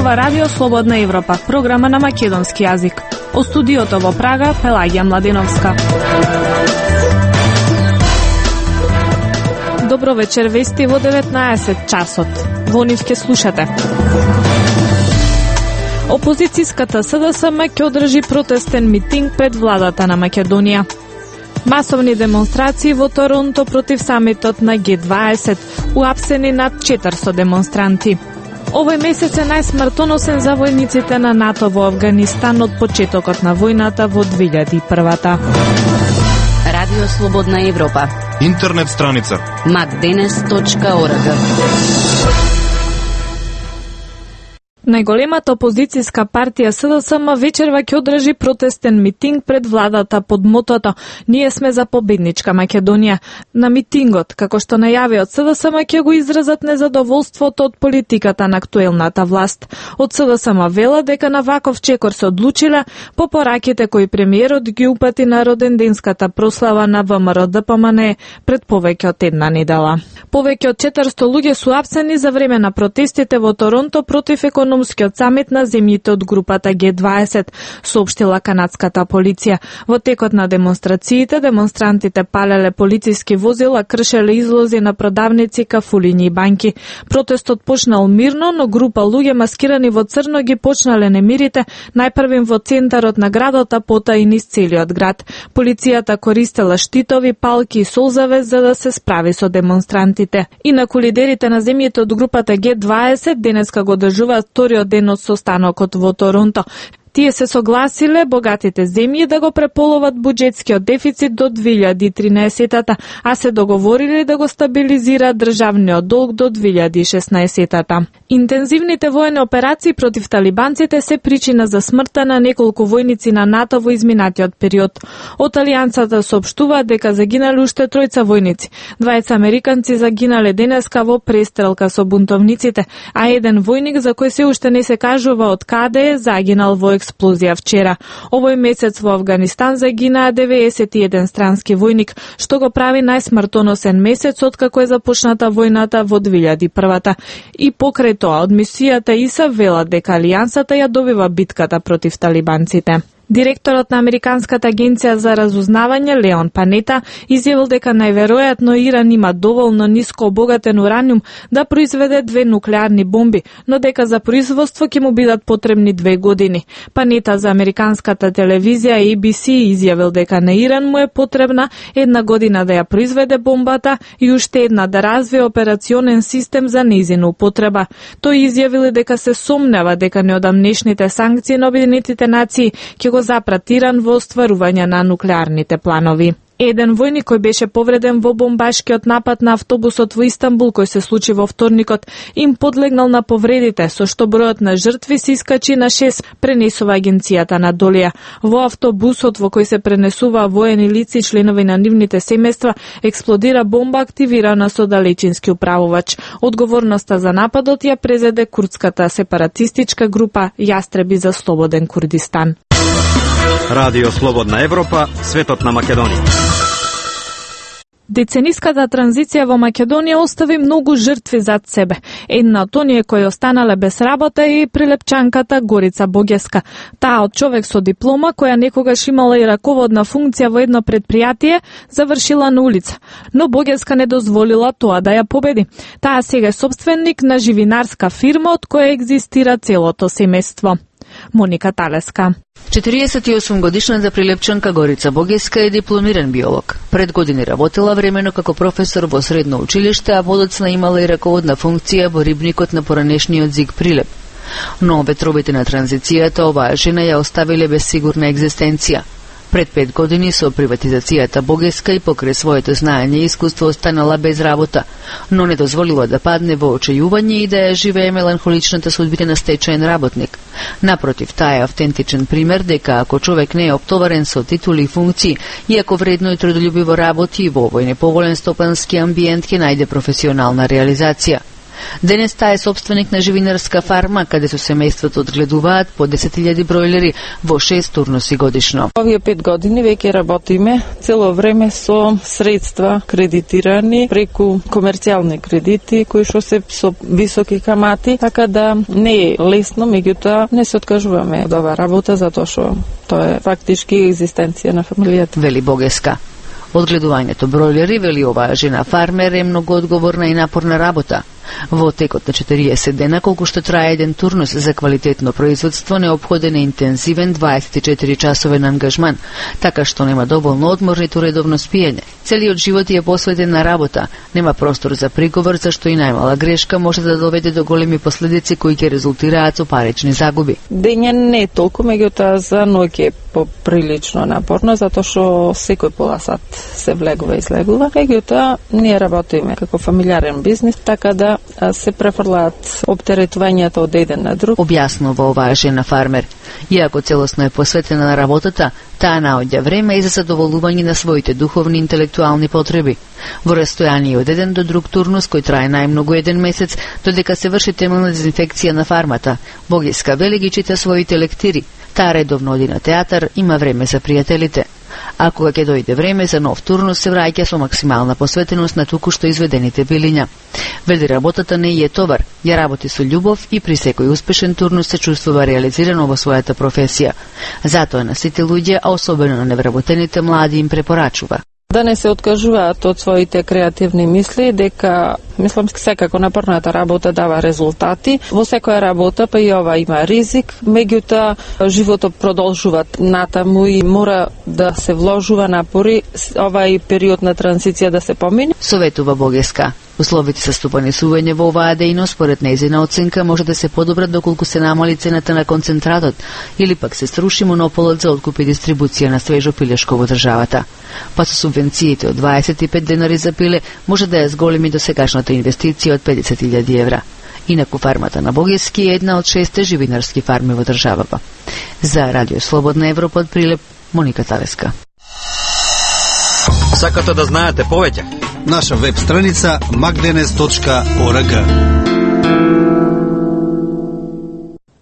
ова Радио Слободна Европа, програма на македонски јазик. О студиото во Прага, Пелагија Младеновска. Добро вечер, вести во 19 часот. Во нив ке слушате. Опозицијската СДСМ ќе одржи протестен митинг пред владата на Македонија. Масовни демонстрации во Торонто против самитот на Г20, уапсени над 400 демонстранти. Овој месец е најсмртоносен за војниците на НАТО во Авганистан од почетокот на војната во 2001. Радио Слободна Европа. Интернет страница macdenes.org. Најголемата опозицијска партија СДСМ вечерва ќе одржи протестен митинг пред владата под мотото "Ние сме за победничка Македонија". На митингот, како што најави од СДСМ, ќе го изразат незадоволството од политиката на актуелната власт. Од СДСМ вела дека на ваков чекор се одлучила по пораките кои премиерот ги упати на роденденската прослава на ВМРО-ДПМН пред повеќе од една недела. Повеќе од 400 луѓе су апсени за време на протестите во Торонто против економскиот самит на земјите од групата Г20, соопштила канадската полиција. Во текот на демонстрациите, демонстрантите палеле полициски возила, кршеле излози на продавници, кафулињи и банки. Протестот почнал мирно, но група луѓе маскирани во црно ги почнале немирите, најпрвим во центарот на градот, а потоа и низ целиот град. Полицијата користела штитови, палки и солзавес за да се справи со демонстрантите. Инаку лидерите на земјите од групата Г20 денеска го одржуваат вториот ден од состанокот во Торонто. Тие се согласиле богатите земји да го преполоват буџетскиот дефицит до 2013-та, а се договориле да го стабилизираат државниот долг до 2016-та. Интензивните воени операции против талибанците се причина за смртта на неколку војници на НАТО во изминатиот период. Од Алијансата соопштуваат дека загинале уште тројца војници. Двајца американци загинале денеска во престрелка со бунтовниците, а еден војник за кој се уште не се кажува од каде е загинал во експлозија вчера. Овој месец во Авганистан загинаа 91 странски војник, што го прави најсмртоносен месец откако е започната војната во 2001-та. И покрај тоа, од мисијата ИСАФ велат дека Алијансата ја добива битката против талибанците. Директорот на Американската агенција за разузнавање Леон Панета изјавил дека најверојатно Иран има доволно ниско обогатен ураниум да произведе 2 нуклеарни бомби, но дека за производство ќе му бидат потребни 2 години. Панета за американската телевизија ABC изјавил дека на Иран му е потребна 1 година да ја произведе бомбата и уште една да развие операционен систем за нејзина употреба. Тој изјавил дека се сомнева дека неодамнешните санкции на Обединетите нации ќе го запрат Иран во остварување на нуклеарните планови. Еден војник кој беше повреден во бомбашкиот напад на автобусот во Истанбул кој се случи во вторникот им подлегнал на повредите, со што бројот на жртви се искачи на 6, пренесува агенцијата на Долија. Во автобусот во кој се пренесува воени лица и членови на нивните семејства експлодира бомба активирана со далечински управувач. Одговорноста за нападот ја презеде курдската сепаратистичка група Јастреби за слободен Курдистан. Радио Слободна Европа, светот на Македонија. Децениската транзиција во Македонија остави многу жртви зад себе. Една од оние кои останале без работа е и прилепчанката Горица Богеска. Таа од човек со диплома, која некогаш имала и раководна функција во едно предпријатие, завршила на улица. Но Богеска не дозволила тоа да ја победи. Таа сега е собственик на живинарска фирма од која екзистира целото семејство. Моника Талеска. 48 годишната прилепчанка Горица Богеска е дипломиран биолог. Пред години работела времено како професор во средно училиште, а подоцна имала и раководна функција во рибникот на поранешниот Зиг Прилеп. Но ветровите на транзицијата оваа жена ја оставиле без сигурна екзистенција. Пред 5 години со приватизацијата Богеска и покрај своето знаење и искуство останала без работа, но не дозволила да падне во очајување и да ја живее меланхоличната судбина на стечаен работник. Напротив, таа е автентичен пример дека ако човек не е оптоварен со титули и функции, и ако вредно и трудолюбиво работи во овој неповолен стопански амбиент ќе најде професионална реализација. Денес таа е собственик на живинарска фарма, каде со семејството одгледуваат по 10.000 бројлери во 6 турнуси годишно. Овие 5 години веќе работиме цело време со средства кредитирани преку комерцијални кредити кои што се со високи камати, така да не е лесно, меѓутоа не се откажуваме од оваа работа затоа што тоа е фактички екзистенција на фамилијата. Вели Богеска. Одгледувањето бројлери, вели оваа жена фармер, е многу одговорна и напорна работа. Во текот на 40 дена, колку што трае еден турнус за квалитетно производство, неопходен е интензивен 24-часовен ангажман, така што нема доволно одмор ниту редовно спиење. Целиот живот е посветен на работа, нема простор за приговор, зашто и најмала грешка може да доведе до големи последици кои ќе резултираат со парични загуби. Дење не е толку, меѓутоа за ноќе е поприлично напорно, затоа што секој пола сат се влегува и излегува. Меѓутоа ние работиме како фамилиарен бизнис, така да се префрлаат оптеретувањето од еден на друг. Објаснува оваа жена фармер. Иако целосно е посветена на работата, таа наоѓа време и за задоволување на своите духовни и интелектуални потреби. Во растојание од еден до друг турнус, кој трае најмногу еден месец, додека се врши темелна дезинфекција на фармата, Богеска вели ги чита своите лектири. Таа редовно оди на театар, има време за пријателите. А кога ќе дојде време за нов турнус, се враќа со максимална посветеност на туку што изведените билиња. Вели работата не е товар, ја работи со љубов и при секој успешен турнус се чувствува реализирано во својата професија. Затоа на сите луѓе, а особено на невработените млади, им препорачува да не се откажуваат од своите креативни мисли, дека мислам секако напорната работа дава резултати. Во секоја работа, па и ова има ризик, меѓутоа животот продолжува натаму и мора да се вложува напори овај период на транзиција да се помине. Советува Богеска. Условите за стопанисување во оваа дејност, според нејзина оценка, може да се подобрат доколку се намали цената на концентратот или пак се сруши монополот за откуп и дистрибуција на свежо пилешко во државата. Па со субвенциите од 25 денари за пиле може да ја зголеми до сегашната инвестиција од 50.000 евра. Инаку фармата на Богески е една од 6 живинарски фарми во државата. За Радио Слободна Европа од Прилеп, Моника Тавеска. Сакате да знаете повеќе? Наша веб страница magdenes.org.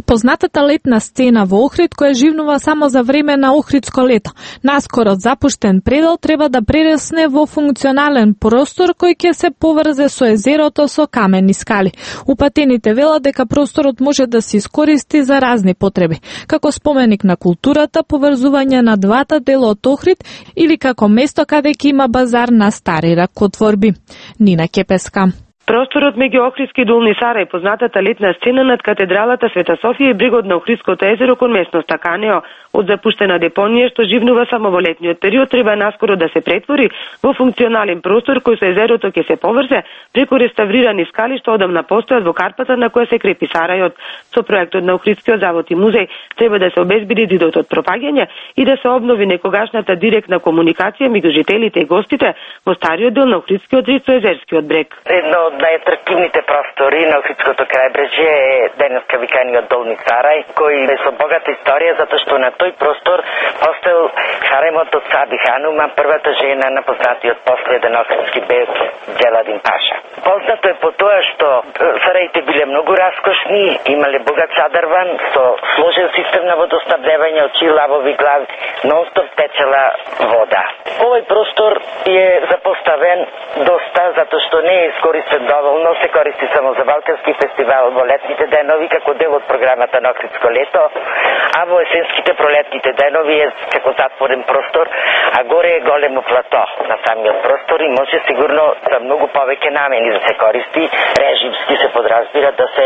Познатата летна сцена во Охрид, која живнува само за време на Охридско лето. Наскоро запуштен предел треба да прерасне во функционален простор кој ќе се поврзе со езерото со камени скали. Упатените велат дека просторот може да се искористи за разни потреби, како споменик на културата, поврзување на двата дела од Охрид или како место каде ќе има базар на стари ракотворби. Нина Кепеска. Просторот меѓу Охридски и Долни Сарај, познатата летна сцена над катедралата Света Софија и брегот на Охридското езеро кон местноста Канео, од запуштена депонија што живнува само во летниот период, треба наскоро да се претвори во функционален простор кој со езерото ќе се поврзе преку реставрирани скали што одамна постојат во карпата на која се крепи Сарајот. Со проектот на Охридскиот завод и музеј треба да се обезбеди дидот од пропаѓање и да се обнови некогашната директна комуникација меѓу жителите и гостите во стариот дел на Охридскиот рид со езерскиот брег. Едно од најатрактивните простори на Охридското крајбрежје е денеска виканиот Долни Сарај, кој е со богата историја затоа што на тој простор постоел харемот од Саби Ханума, првата жена на познатиот последен охридски бег Џеладин Паша. Познато е по тоа што сараите биле многу раскошни, имале богат садрван со сложен систем на водоснабдевање, очи, лавови глави, нон-стоп течела вода. Овој простор е запоставен доста затоа што не е искористен доволно, се користи само за Балкански фестивал во летните денови како дел од програмата на Охридско лето, а во есенските пролетните денови е како затворен простор, а горе е големо плато на самиот простор и може сигурно за многу повеќе намени да се користи, режимски се подразбира да се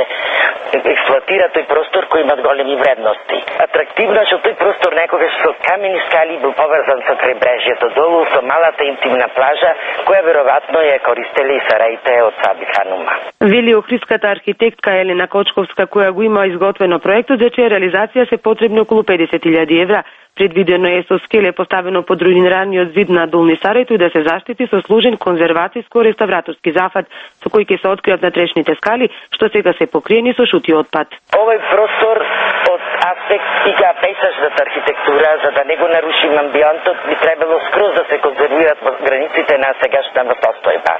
експлоатира тој простор кој имат големи вредности. Атрактивно што тој простор некогаш со камени скали бил поврзан со крајбрежјето долу, со малата интимна плажа, која веројатно ја користеле и сараите од Саби Ханума. Вели охридската архитектка Елена Кочковска, која го има изготвено проектот, за чија реализација се потребни околу 50.000 евра. Предвидено е со скеле поставено под руинираниот зид на Долни Сарај тој да се заштити со сложен конзервацијско-реставраторски зафат, со кој ќе се откријат натрешните скали, што сега се покриени со шути отпад. Овој простор од аспект стига пейзажната архитектура, за да не го нарушим амбиентот, би требало скроз да се конзервират границите на сегашната постојба.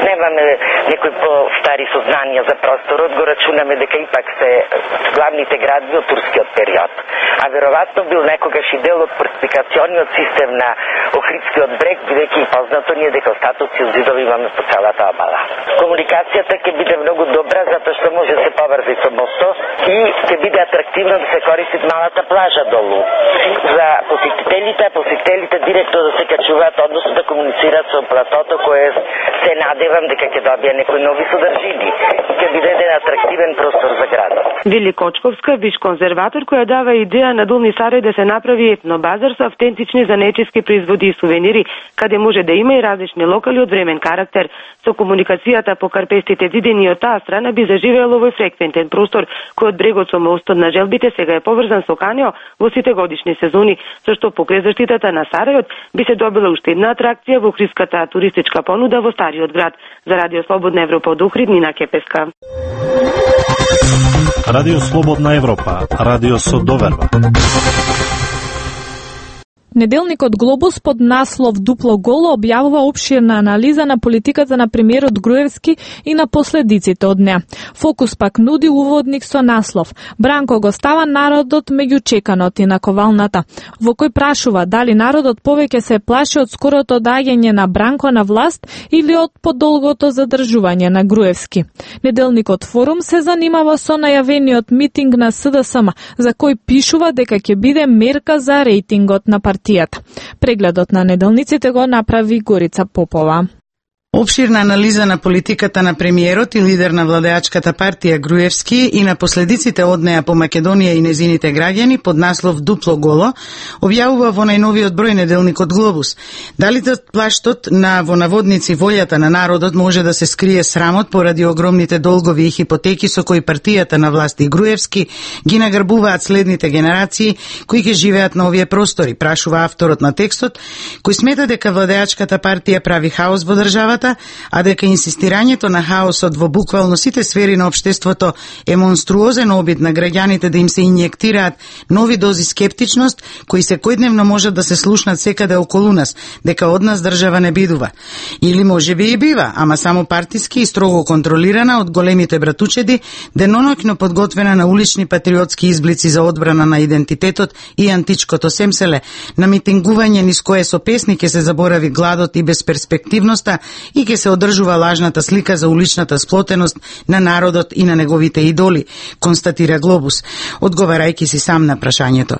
Немаме некои по-стари сознанија за просторот, го рачунаме дека ипак се главните градби од турскиот период. А веројатно бил некогаш и дел од фортификациониот систем на Охридскиот брег, бидејќи познато ни е дека остатоци од зидови имаме по целата обала. Комуникацијата ќе биде многу добра, затоа што може да се поврзе со мостот и ќе биде атрактивно да се користи малата плажа долу за посетителите директно да се качуваат, односно да комуницираат со платото кое се надевам дека ќе добие некои нови содржини и ќе биде еден атрактивен простор за градот. Вели Кочковска, биш конзерватор, која дава идеја на Долни Сарај да се направи етнобазар со автентични занечески производи и сувенири, каде може да има и различни локали од времен карактер. Со комуникацијата по карпестите зидини од таа страна би заживеел овој фреквентен простор, кој од брегот со мостот на Желбите сега е поврзан со Канео во сите годишни сезони, со што покрај заштитата на Сарајот би се добила уште една атракција во охридската туристичка понуда во стариот град. За Радио Слободна Европа од Охрид, Нина Кепеска. Радио Слободна Европа, радио со доверба. Неделникот Глобус под наслов Дупло голо објавува опширна анализа на политиката на премиерот Груевски и на последиците од неа. Фокус пак нуди уводник со наслов Бранко го става народот меѓу чеканот и наковалната, во кој прашува дали народот повеќе се плаши од скорото доаѓање на Бранко на власт или од подолгото задржување на Груевски. Неделникот Форум се занимава со најавениот митинг на СДСМ, за кој пишува дека ќе биде мерка за рейтингот на партијата. Прегледот на неделниците го направи Горица Попова. Опширна анализа на политиката на премиерот и лидер на владеачката партија Груевски и на последиците од неа по Македонија и незините граѓани под наслов Дупло голо објавува во најновиот број неделникот Глобус. Дали плаштот на во наводници волјата на народот може да се скрие срамот поради огромните долгови и хипотеки со кои партијата на власт и Груевски ги награбуваат следните генерации кои ќе живеат на овие простори, прашува авторот на текстот, кој смета дека владеачката партија прави хаос во државата, а дека инсистирањето на хаосот во буквално сите сфери на општеството е монструозен обид на граѓаните да им се инјектираат нови дози скептичност, кои секојдневно можат да се слушнат секаде околу нас, дека од нас држава не бидува. Или можеби и бива, ама само партиски и строго контролирана од големите братучеди, деноноќно подготвена на улични патриотски изблици за одбрана на идентитетот и античкото семселе, на митингување низ кое со песни ќе се заборави гладот и безперспективноста и ќе се одржува лажната слика за уличната сплотеност на народот и на неговите идоли, констатира Глобус, одговарајќи си сам на прашањето.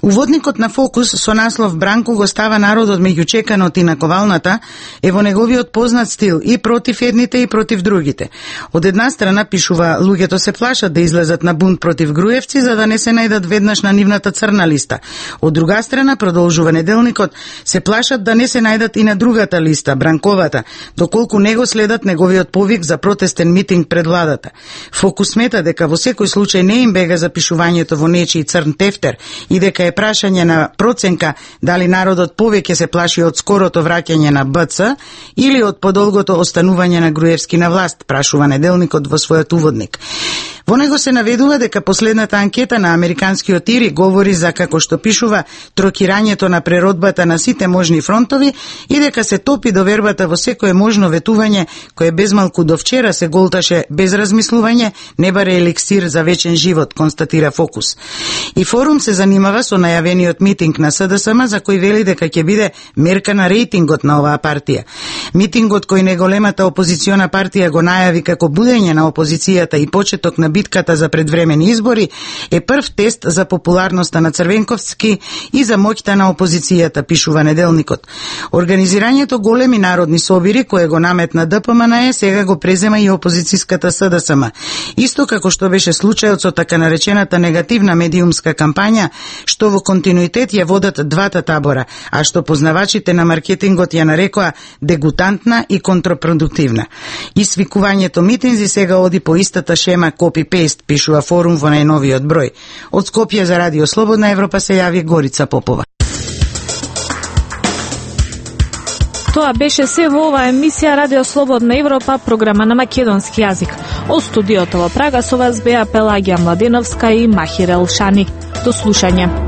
Уводникот на Фокус со наслов Бранко го става народот меѓу чеканот и наковалната е во неговиот познат стил и против едните и против другите. Од една страна пишува луѓето се плашат да излезат на бунт против Груевци за да не се најдат веднаш на нивната црна листа. Од друга страна, продолжува неделникот, се плашат да не се најдат и на другата листа, Бранковата, доколку не го следат неговиот повик за протестен митинг пред владата. Фокус смета дека во секој случај не им бега запишувањето во нечии црн тефтер и дека е прашање на проценка дали народот повеќе се плаши од скорото враќање на БЦ или од подолгото останување на Груевски на власт, прашува неделникот во својот уводник. Во него се наведува дека последната анкета на американскиот ИРИ говори за, како што пишува, трокирањето на преродбата на сите можни фронтови и дека се топи довербата во секое можно ветување кое безмалку до вчера се голташе без размислување, не баре еликсир за вечен живот, констатира Фокус. И Форум се занимава со најавениот митинг на СДСМ за кој вели дека ќе биде мерка на рейтингот на оваа партија. Митингот кој неголемата опозициона партија го најави како будење на опозицијата и почеток на битката за предвремени избори е прв тест за популарноста на Црвенковски и за моќта на опозицијата, пишува неделникот. Организирањето големи народни собири кое го наметна ДПМН сега го презема и опозицијската СДСМ. Исто како што беше случајот со така наречената негативна медиумска кампања, што во континуитет ја водат двата табора, а што познавачите на маркетингот ја нарекоа дегутантна и контрапродуктивна. И свикувањето митинзи сега оди по истата шема копи-пейст, пишува Форум во најновиот број. Од Скопје за Радио Слободна Европа се јави Горица Попова. Тоа беше се во оваа емисија Радио Слободна Европа, програма на македонски јазик. Од студиото во Прага со вас беа Пелагија Младеновска и Махир Елшани. До слушање.